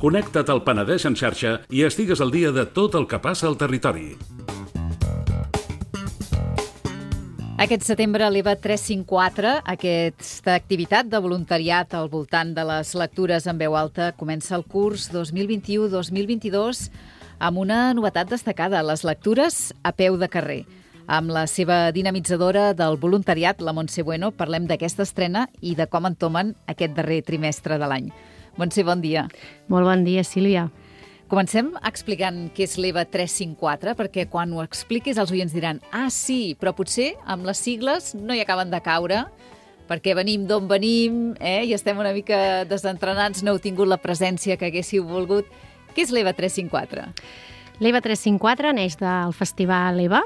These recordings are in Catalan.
Connecta't al Penedès en xarxa i estigues al dia de tot el que passa al territori. Aquest setembre l'EVA 354, aquesta activitat de voluntariat al voltant de les lectures en veu alta, comença el curs 2021-2022 amb una novetat destacada, les lectures a peu de carrer. Amb la seva dinamitzadora del voluntariat, la Montse Bueno, parlem d'aquesta estrena i de com entomen aquest darrer trimestre de l'any. Montse, bon dia. Molt bon dia, Sílvia. Comencem explicant què és l'EVA 354, perquè quan ho expliquis els oients diran sí, però potser amb les sigles no hi acaben de caure, perquè venim d'on venim i estem una mica desentrenats, no heu tingut la presència que haguéssiu volgut. Què és l'EVA 354? L'EVA 354 neix del Festival EVA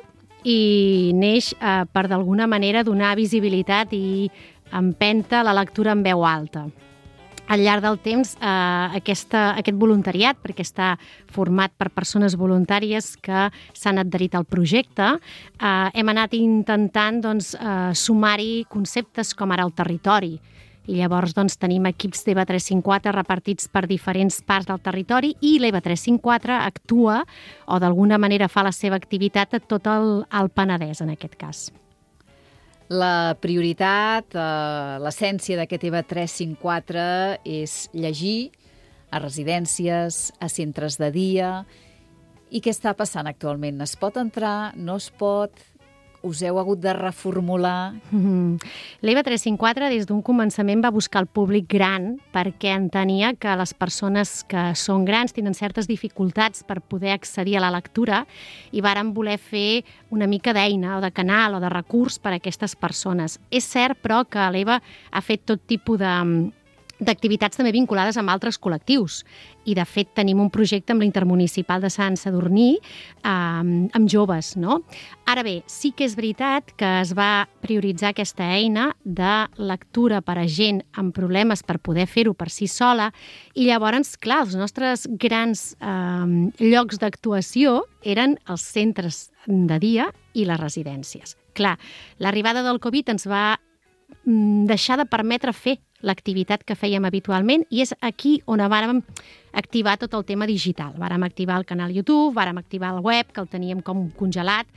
i neix per d'alguna manera donar visibilitat i empenta la lectura en veu alta. Al llarg del temps, aquest voluntariat, perquè està format per persones voluntàries que s'han adherit al projecte, hem anat intentant sumar-hi conceptes com ara el territori. I llavors tenim equips d'EVA 354 repartits per diferents parts del territori i l'EVA 354 actua o d'alguna manera fa la seva activitat a tot el Penedès, en aquest cas. La prioritat, l'essència d'aquest EVA 354 és llegir a residències, a centres de dia. I què està passant actualment? Es pot entrar? No es pot? Us heu hagut de reformular? L'EVA 354 des d'un començament va buscar el públic gran perquè entenia que les persones que són grans tenen certes dificultats per poder accedir a la lectura i vàrem voler fer una mica d'eina o de canal o de recurs per a aquestes persones. És cert, però, que l'EVA ha fet tot tipus d'activitats també vinculades amb altres col·lectius. I, de fet, tenim un projecte amb l'Intermunicipal de Sant Sadurní amb joves, no? Ara bé, sí que és veritat que es va prioritzar aquesta eina de lectura per a gent amb problemes per poder fer-ho per si sola i llavors, clar, els nostres grans llocs d'actuació eren els centres de dia i les residències. Clar, l'arribada del Covid ens va deixar de permetre fer l'activitat que fèiem habitualment i és aquí on vàrem activar tot el tema digital. Vàrem activar el canal YouTube, vàrem activar el web, que el teníem com congelat,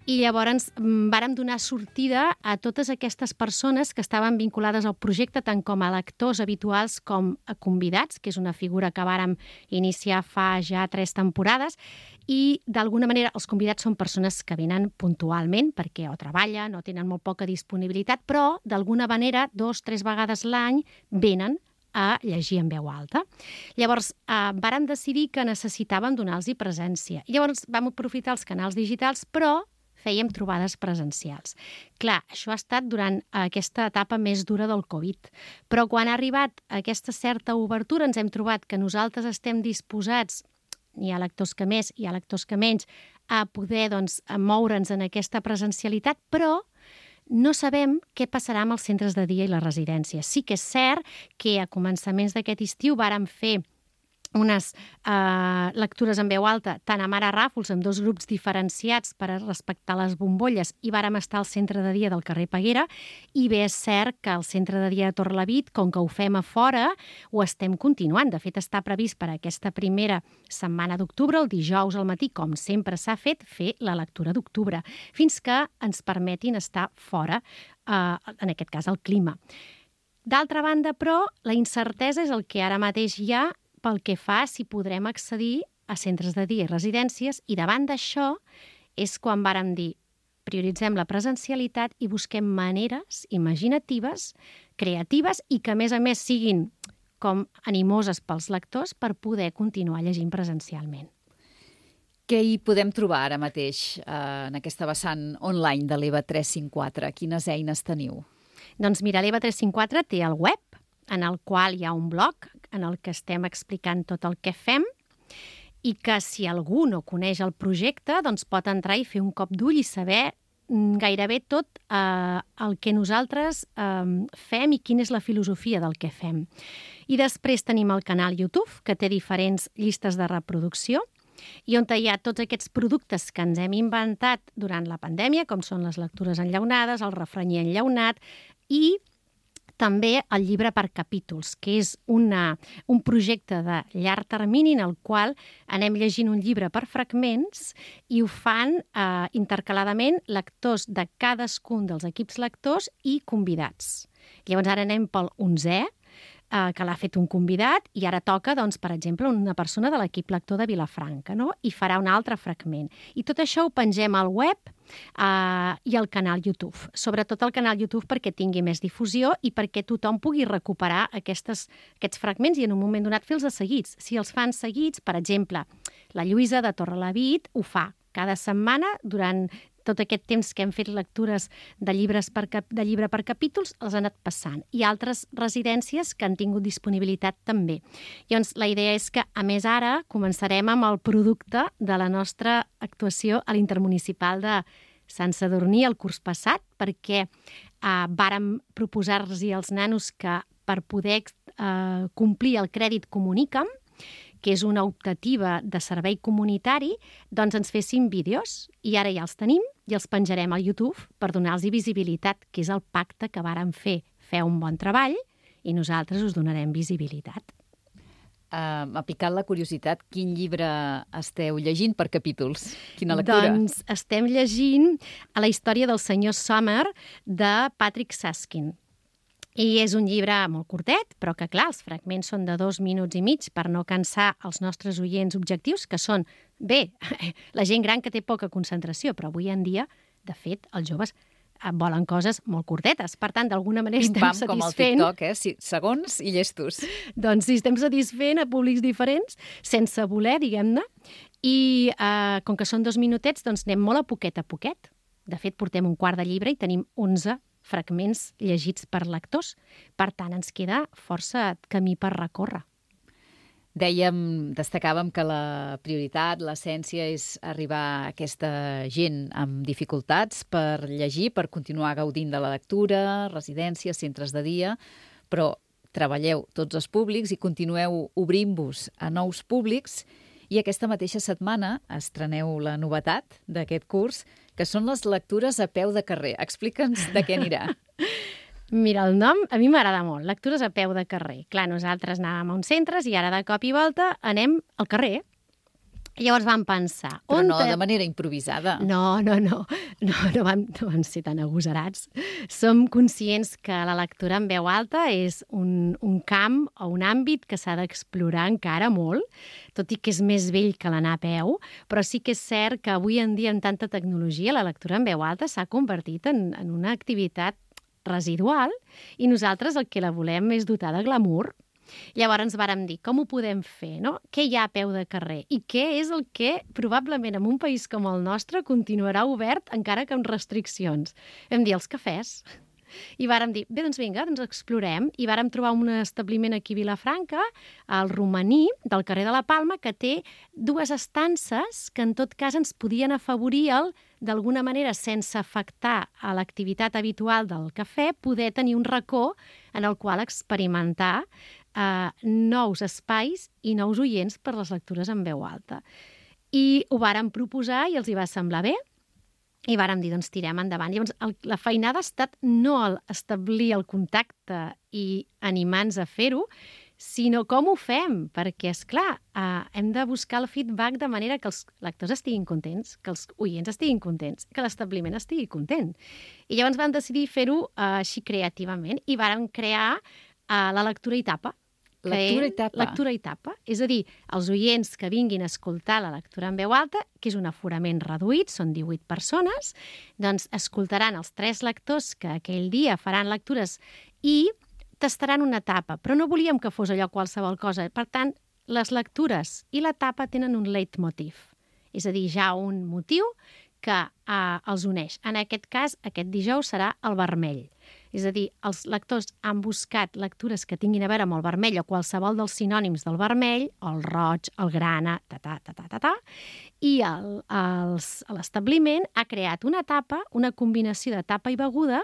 i llavors vàrem donar sortida a totes aquestes persones que estaven vinculades al projecte, tant com a lectors habituals com a convidats, que és una figura que vàrem iniciar fa ja 3 temporades, i d'alguna manera els convidats són persones que venen puntualment perquè o treballen o tenen molt poca disponibilitat, però d'alguna manera 2-3 vegades l'any venen a llegir en veu alta. Llavors, vàrem decidir que necessitàvem donar-los presència. Llavors vam aprofitar els canals digitals, però fèiem trobades presencials. Clar, això ha estat durant aquesta etapa més dura del Covid, però quan ha arribat aquesta certa obertura ens hem trobat que nosaltres estem disposats, hi ha lectors que més, hi ha lectors que menys, a poder moure'ns en aquesta presencialitat, però no sabem què passarà amb els centres de dia i les residències. Sí que és cert que a començaments d'aquest estiu vàrem fer unes lectures en veu alta, tant a Mare Ràfols, amb 2 grups diferenciats per a respectar les bombolles, i vàrem estar al centre de dia del carrer Peguera, i bé és cert que al centre de dia de Torrelavit, com que ho fem a fora, ho estem continuant. De fet, està previst per aquesta primera setmana d'octubre, el dijous al matí, com sempre s'ha fet, fer la lectura d'octubre, fins que ens permetin estar fora, en aquest cas, el clima. D'altra banda, però, la incertesa és el que ara mateix hi ha pel que fa si podrem accedir a centres de dia i residències, i davant d'això és quan vàrem dir prioritzem la presencialitat i busquem maneres imaginatives, creatives i que a més siguin com animoses pels lectors per poder continuar llegint presencialment. Què hi podem trobar ara mateix en aquesta vessant online de l'EVA 354? Quines eines teniu? Doncs mira, l'EVA 354 té el web, en el qual hi ha un blog en el que estem explicant tot el que fem i que si algú no coneix el projecte doncs pot entrar i fer un cop d'ull i saber gairebé tot el que nosaltres fem i quina és la filosofia del que fem. I després tenim el canal YouTube, que té diferents llistes de reproducció i on hi ha tots aquests productes que ens hem inventat durant la pandèmia, com són les lectures enllaunades, el refranyer enllaunat, i també el llibre per capítols, que és un projecte de llarg termini en el qual anem llegint un llibre per fragments i ho fan intercaladament lectors de cadascun dels equips lectors i convidats. Llavors ara anem pel 11è, que l'ha fet un convidat, i ara toca, doncs, per exemple, una persona de l'equip lector de Vilafranca, no? I farà un altre fragment. I tot això ho pengem al web i al canal YouTube. Sobretot al canal YouTube perquè tingui més difusió i perquè tothom pugui recuperar aquests fragments i en un moment donat fer-los seguits. Si els fan seguits, per exemple, la Lluïsa de Torrelavit ho fa cada setmana durant tot aquest temps que hem fet lectures de llibre per capítols, els han anat passant. I altres residències que han tingut disponibilitat també. Llavors, la idea és que, a més, ara començarem amb el producte de la nostra actuació a l'Intermunicipal de Sant Sadurní el curs passat, perquè vàrem proposar-los als nanos que per poder complir el crèdit Comunica'm, que és una optativa de servei comunitari, doncs ens fessin vídeos. I ara ja els tenim i els penjarem al YouTube per donar-los visibilitat, que és el pacte que vàrem fer. Feu un bon treball i nosaltres us donarem visibilitat. M'ha picat la curiositat. Quin llibre esteu llegint per capítols? Quina lectura? Doncs estem llegint a la història del senyor Summer de Patrick Susskind. I és un llibre molt curtet, però que, clar, els fragments són de 2 minuts i mig per no cansar els nostres oients objectius, que són, bé, la gent gran que té poca concentració, però avui en dia, de fet, els joves volen coses molt curtetes. Per tant, d'alguna manera estem satisfent... com al TikTok, segons i llestos. Doncs sí, estem satisfent a públics diferents, sense voler, diguem-ne, i com que són 2 minutets, doncs anem molt a poquet. De fet, portem un quart de llibre i tenim 11 fragments llegits per lectors. Per tant, ens queda força camí per recórrer. Destacàvem que la prioritat, l'essència, és arribar a aquesta gent amb dificultats per llegir, per continuar gaudint de la lectura, residències, centres de dia, però treballeu tots els públics i continueu obrint-vos a nous públics. I aquesta mateixa setmana estreneu la novetat d'aquest curs, que són les lectures a peu de carrer. Explica'ns de què anirà. Mira, el nom a mi m'agrada molt, lectures a peu de carrer. Clar, nosaltres anàvem a uns centres i ara de cop i volta anem al carrer. Llavors vam pensar... Però no de manera improvisada. No vam ser tan agosarats. Som conscients que la lectura en veu alta és un camp o un àmbit que s'ha d'explorar encara molt, tot i que és més vell que l'anar a peu, però sí que és cert que avui en dia, amb tanta tecnologia, la lectura en veu alta s'ha convertit en una activitat residual i nosaltres el que la volem és dotar de glamour. Llavors ens vàrem dir, com ho podem fer, no? Què hi ha a peu de carrer? I què és el que probablement en un país com el nostre continuarà obert encara que amb restriccions? Vam dir els cafès. I vàrem dir, bé, doncs vinga, doncs explorem. I vàrem trobar un establiment aquí a Vilafranca, al Romaní, del carrer de la Palma, que té 2 estances que en tot cas ens podien afavorir d'alguna manera, sense afectar a l'activitat habitual del cafè, poder tenir un racó en el qual experimentar nous espais i nous oients per les lectures en veu alta. I ho vàrem proposar i els hi va semblar bé i vàrem dir, doncs tirem endavant. Llavors, la feinada ha estat no establir el contacte i animar-nos a fer-ho, sinó com ho fem, perquè, esclar, hem de buscar el feedback de manera que els lectors estiguin contents, que els oients estiguin contents, que l'establiment estigui content. I llavors vam decidir fer-ho així creativament i vàrem crear la lectura i tapa. Lectura i tapa. És a dir, els oients que vinguin a escoltar la lectura en veu alta, que és un aforament reduït, són 18 persones, doncs escoltaran els 3 lectors que aquell dia faran lectures i tastaran una tapa, però no volíem que fos allò qualsevol cosa. Per tant, les lectures i la tapa tenen un leitmotiv, és a dir, ja un motiu que els uneix. En aquest cas, aquest dijous serà el vermell. És a dir, els lectors han buscat lectures que tinguin a veure amb el vermell o qualsevol dels sinònims del vermell, el roig, el grana, i l'establiment ha creat una tapa, una combinació de tapa i beguda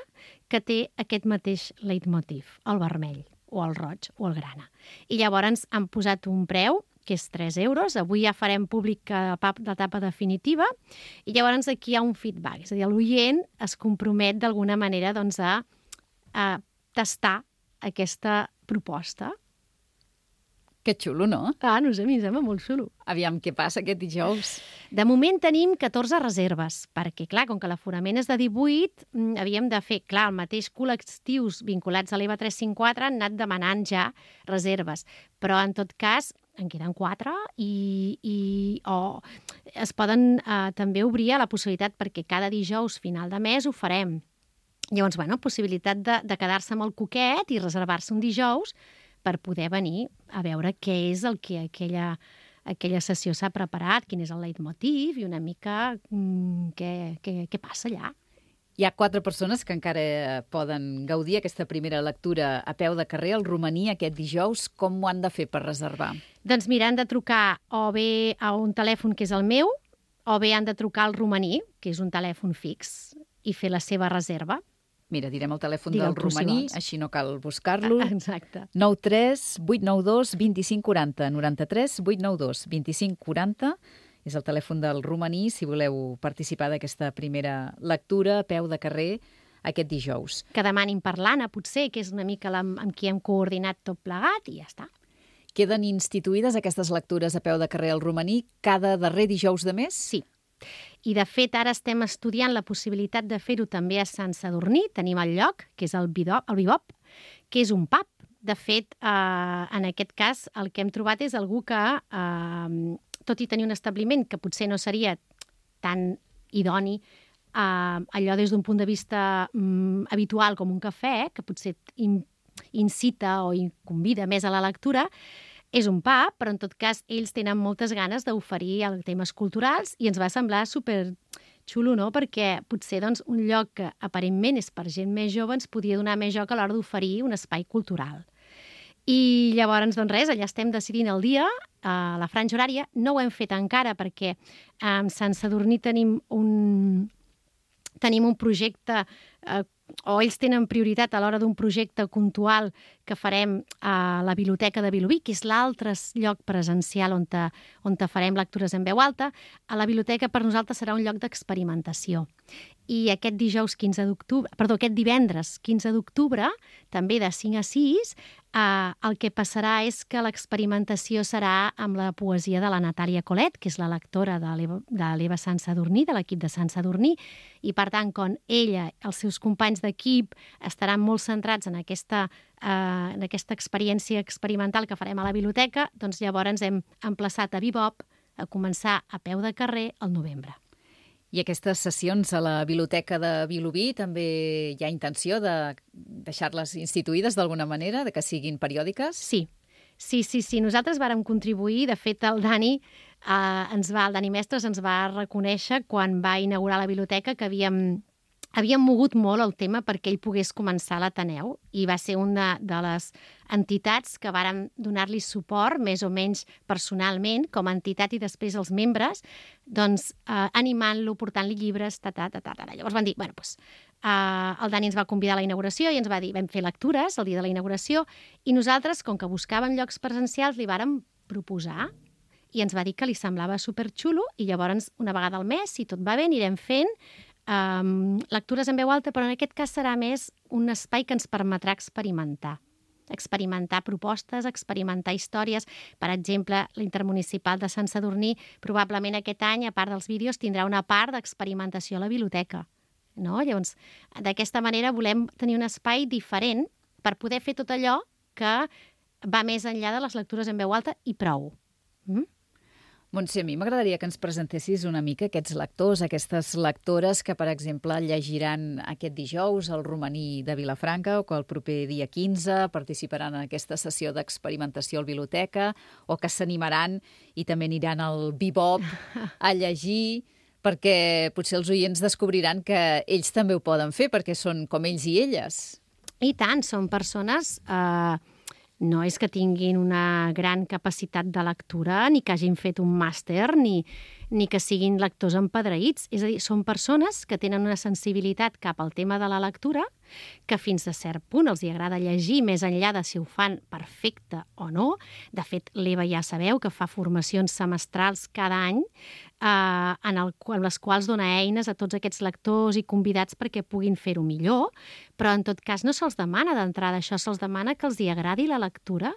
que té aquest mateix leitmotiv, el vermell, o el roig, o el grana. I llavors han posat un preu que és 3 euros. Avui ja farem públic la tapa definitiva i llavors aquí hi ha un feedback. És a dir, l'oient es compromet d'alguna manera doncs, a tastar aquesta proposta. Que xulo, no? No sé, a mi em sembla molt xulo. Aviam què passa aquest dijous. De moment tenim 14 reserves, perquè, clar, com que l'aforament és de 18, havíem de fer, clar, el mateix col·lectius vinculats a l'EVA 354 han anat demanant ja reserves, però en tot cas en queden 4 i es poden també obrir a la possibilitat perquè cada dijous final de mes ho farem. Llavors, bueno, possibilitat de quedar-se amb el cuquet i reservar-se un dijous per poder venir a veure què és el que aquella sessió s'ha preparat, quin és el leitmotiv i una mica què passa allà. Hi ha 4 persones que encara poden gaudir aquesta primera lectura a peu de carrer al Romaní aquest dijous. Com ho han de fer per reservar? Doncs mira, han de trucar o bé a un telèfon que és el meu o bé han de trucar al Romaní, que és un telèfon fix, i fer la seva reserva. Mira, direm el telèfon Digue'l del tu, si Romaní, vols. així no cal buscar-lo. Exacte. 93 892 2540. 93 892 2540 és el telèfon del Romaní si voleu participar d'aquesta primera lectura a peu de carrer aquest dijous. Que demanin per l'Anna, potser, que és una mica amb qui hem coordinat tot plegat i ja està. Queden instituïdes aquestes lectures a peu de carrer al Romaní cada darrer dijous de mes? Sí. I, de fet, ara estem estudiant la possibilitat de fer-ho també a Sant Sadurní. Tenim el lloc, que és el Bibop, que és un pub. De fet, en aquest cas, el que hem trobat és algú que, tot i tenir un establiment que potser no seria tan idoni, allò des d'un punt de vista habitual com un cafè, que potser incita o convida més a la lectura, és un pub, però en tot cas ells tenen moltes ganes d'oferir temes culturals i ens va semblar super xulo, no? Perquè potser doncs, un lloc que aparentment és per gent més jove ens podia donar més joc a l'hora d'oferir un espai cultural. I llavors, doncs res, allà estem decidint el dia, la franja horària. No ho hem fet encara perquè a Sant Sadurní tenim un projecte o ells tenen prioritat a l'hora d'un projecte puntual que farem a la Biblioteca de Vilobí, que és l'altre lloc presencial on farem lectures en veu alta. A la biblioteca per nosaltres serà un lloc d'experimentació. I aquest divendres 15 d'octubre, també de 5 a 6, el que passarà és que l'experimentació serà amb la poesia de la Natàlia Colet, que és la lectora de l'Eva Sant Sadurní, de l'equip de Sant Sadurní, i per tant, quan ella i els seus companys d'equip estaran molt centrats en aquesta experiència experimental que farem a la biblioteca, doncs llavors hem emplaçat a Bibop a començar a peu de carrer al novembre. I aquestes sessions a la Biblioteca de Vilobí també hi ha intenció de deixar-les instituïdes d'alguna manera, de que siguin periòdiques? Sí. Nosaltres vàrem contribuir. De fet, el Dani Mestres ens va reconèixer quan va inaugurar la biblioteca que havíem mogut molt el tema perquè ell pogués començar a l'Ateneu i va ser una de les entitats que vàrem donar-li suport, més o menys personalment, com a entitat i després els membres, doncs animant-lo, portant-li llibres, Llavors van dir, el Dani ens va convidar a la inauguració i ens va dir, vam fer lectures el dia de la inauguració i nosaltres, com que buscàvem llocs presencials, li vàrem proposar i ens va dir que li semblava superxulo i llavors una vegada al mes, si tot va bé, anirem fent lectures en veu alta, però en aquest cas serà més un espai que ens permetrà experimentar propostes, experimentar històries. Per exemple, l'Intermunicipal de Sant Sadurní probablement aquest any, a part dels vídeos, tindrà una part d'experimentació a la biblioteca. No? Llavors, d'aquesta manera volem tenir un espai diferent per poder fer tot allò que va més enllà de les lectures en veu alta i prou. Montse, a mi m'agradaria que ens presentessis una mica aquests lectors, aquestes lectores que, per exemple, llegiran aquest dijous al Romaní de Vilafranca o que el proper dia 15 participaran en aquesta sessió d'experimentació a la biblioteca o que s'animaran i també aniran al Bibop a llegir, perquè potser els oients descobriran que ells també ho poden fer perquè són com ells i elles. I tant, són persones... No és que tinguin una gran capacitat de lectura, ni que hagin fet un màster, ni ni que siguin lectors empedreïts. És a dir, són persones que tenen una sensibilitat cap al tema de la lectura, que fins a cert punt els hi agrada llegir, més enllà de si ho fan perfecte o no. De fet, l'Eva ja sabeu que fa formacions semestrals cada any en les quals dona eines a tots aquests lectors i convidats perquè puguin fer-ho millor, però en tot cas no se'ls demana d'entrada això, se'ls demana que els hi agradi la lectura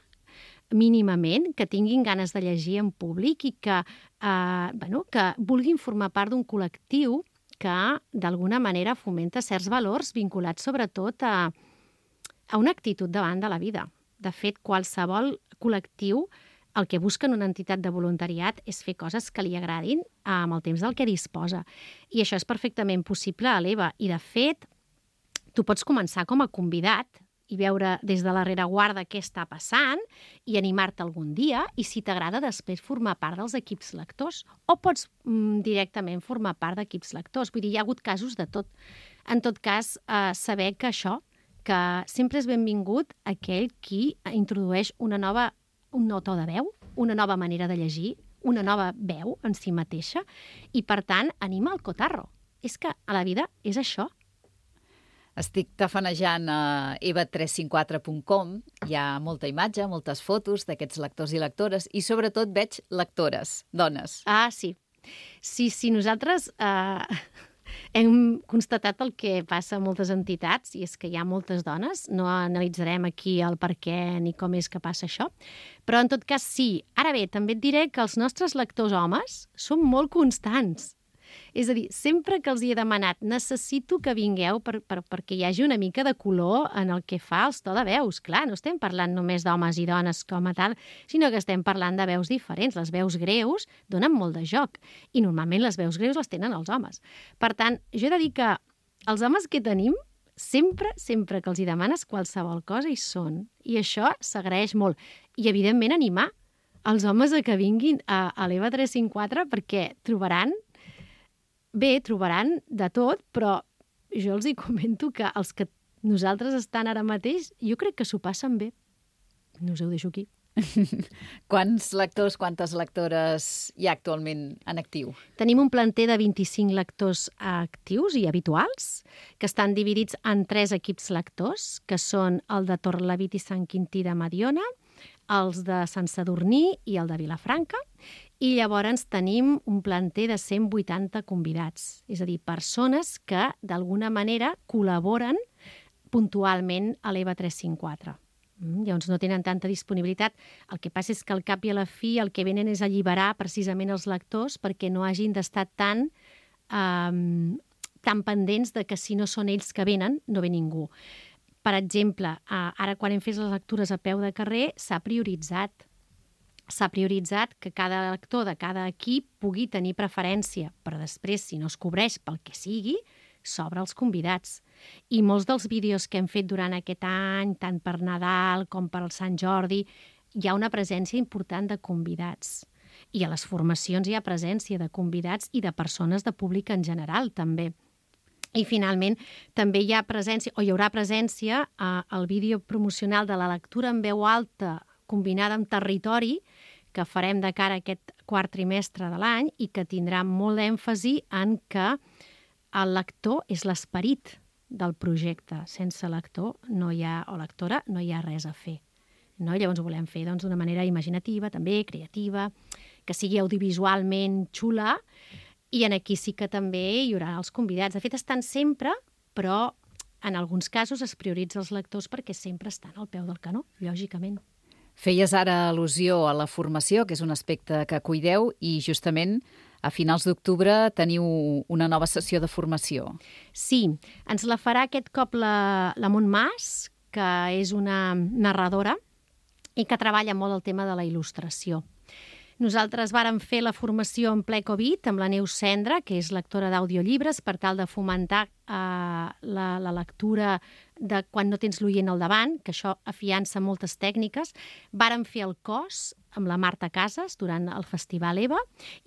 mínimament, que tinguin ganes de llegir en públic i que vulguin formar part d'un col·lectiu que d'alguna manera fomenta certs valors vinculats sobretot a una actitud davant de la vida. De fet, qualsevol col·lectiu el que busca en una entitat de voluntariat és fer coses que li agradin amb el temps del que disposa. I això és perfectament possible a l'EVA. I, de fet, tu pots començar com a convidat i veure des de la rereguarda què està passant i animar-te algun dia i, si t'agrada, després formar part dels equips lectors. O pots directament formar part d'equips lectors. Vull dir, hi ha hagut casos de tot. En tot cas, saber que això, que sempre és benvingut aquell qui introdueix un nou to de veu, una nova manera de llegir, una nova veu en si mateixa i, per tant, anima el cotarro. És que a la vida és això. Estic tafanejant a eva354.com. Hi ha molta imatge, moltes fotos d'aquests lectors i lectores i sobretot veig lectores, dones. Ah, sí. Sí, nosaltres hem constatat el que passa a moltes entitats i és que hi ha moltes dones. No analitzarem aquí el per què ni com és que passa això, però en tot cas sí. Ara bé, també et diré que els nostres lectors homes són molt constants. És a dir, sempre que els hi he demanat necessito que vingueu perquè hi hagi una mica de color en el que fa els to de veus. Clar, no estem parlant només d'homes i dones com a tal, sinó que estem parlant de veus diferents. Les veus greus donen molt de joc i normalment les veus greus les tenen els homes. Per tant, jo he de dir que els homes que tenim sempre que els hi demanes qualsevol cosa hi són. I això s'agraeix molt. I, evidentment, animar els homes a que vinguin a l'EVA 354 perquè trobaran de tot, però jo els hi comento que els que nosaltres estan ara mateix, jo crec que s'ho passen bé. No us ho deixo aquí. Quants lectors, quantes lectores hi ha actualment en actiu? Tenim un planter de 25 lectors actius i habituals, que estan dividits en 3 equips lectors, que són el de Torrelavit i Sant Quintí de Mediona, els de Sant Sadurní i el de Vilafranca, i llavors tenim un planter de 180 convidats, és a dir, persones que d'alguna manera col·laboren puntualment a l'EVA 354. Llavors no tenen tanta disponibilitat. El que passa és que al cap i a la fi el que venen és alliberar precisament els lectors perquè no hagin d'estar tan pendents de que si no són ells que venen, no ve ningú. Per exemple, ara quan hem fet les lectures a peu de carrer s'ha prioritzat que cada lector de cada equip pugui tenir preferència, però després, si no es cobreix pel que sigui, s'obre als convidats. I molts dels vídeos que hem fet durant aquest any, tant per Nadal com per Sant Jordi, hi ha una presència important de convidats. I a les formacions hi ha presència de convidats i de persones de públic en general, també. I, finalment, també hi haurà presència al vídeo promocional de la lectura en veu alta combinada amb territori que farem de cara a aquest quart trimestre de l'any i que tindrà molt d'èmfasi en que el lector és l'esperit del projecte. Sense lector o lectora no hi ha res a fer. No? Llavors ho volem fer d'una manera imaginativa, també creativa, que sigui audiovisualment xula, i aquí sí que també hi haurà els convidats. De fet, estan sempre, però en alguns casos es prioritza els lectors perquè sempre estan al peu del canó, lògicament. Feies ara al·lusió a la formació, que és un aspecte que cuideu, i justament a finals d'octubre teniu una nova sessió de formació. Sí, ens la farà aquest cop la Montmas, que és una narradora i que treballa molt el tema de la il·lustració. Nosaltres vàrem fer la formació en ple Covid amb la Neus Cendra, que és lectora d'audiollibres, per tal de fomentar la lectura de quan no tens l'oient al davant, que això afiança moltes tècniques. Vàrem fer el cos amb la Marta Casas durant el Festival EVA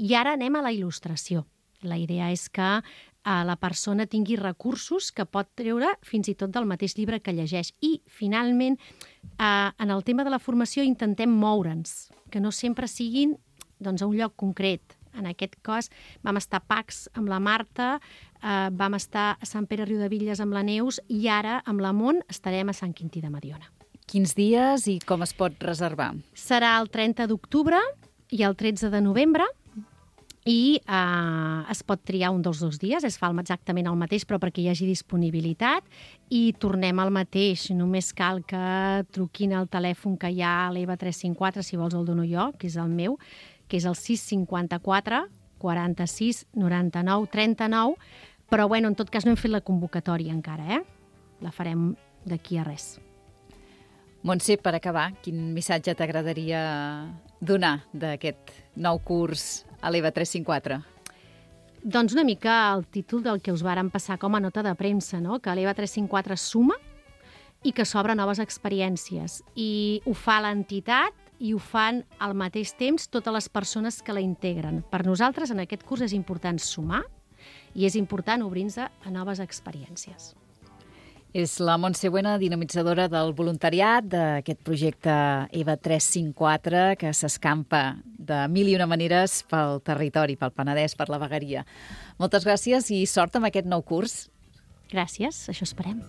i ara anem a la il·lustració. La idea és que la persona tingui recursos que pot treure fins i tot del mateix llibre que llegeix. I, finalment, en el tema de la formació intentem moure'ns, que no sempre siguin a un lloc concret. En aquest cos vam estar a Pacs amb la Marta, vam estar a Sant Pere Riudebitlles amb la Neus i ara amb la Mont estarem a Sant Quintí de Mediona. Quins dies i com es pot reservar? Serà el 30 d'octubre i el 13 de novembre i es pot triar un dels 2 dies, es fa exactament el mateix però perquè hi hagi disponibilitat i tornem al mateix, només cal que truquin al telèfon que hi ha a l'EVA 354, si vols el dono jo, que és el meu, que és el 654 46 99 39, però bueno, en tot cas no hem fet la convocatòria encara, la farem d'aquí a res. Montse, per acabar, quin missatge t'agradaria donar d'aquest nou curs a l'EVA 354? Doncs una mica el títol del que us vàrem passar com a nota de premsa, no? Que l'EVA 354 suma i que s'obre noves experiències. I ho fa l'entitat i ho fan al mateix temps totes les persones que la integren. Per nosaltres en aquest curs és important sumar i és important obrir-nos a noves experiències. És la Montse Buena, dinamitzadora del voluntariat d'aquest projecte EVA 354 que s'escampa de mil i una maneres pel territori, pel Penedès, per la vegueria. Moltes gràcies i sort amb aquest nou curs. Gràcies, això esperem.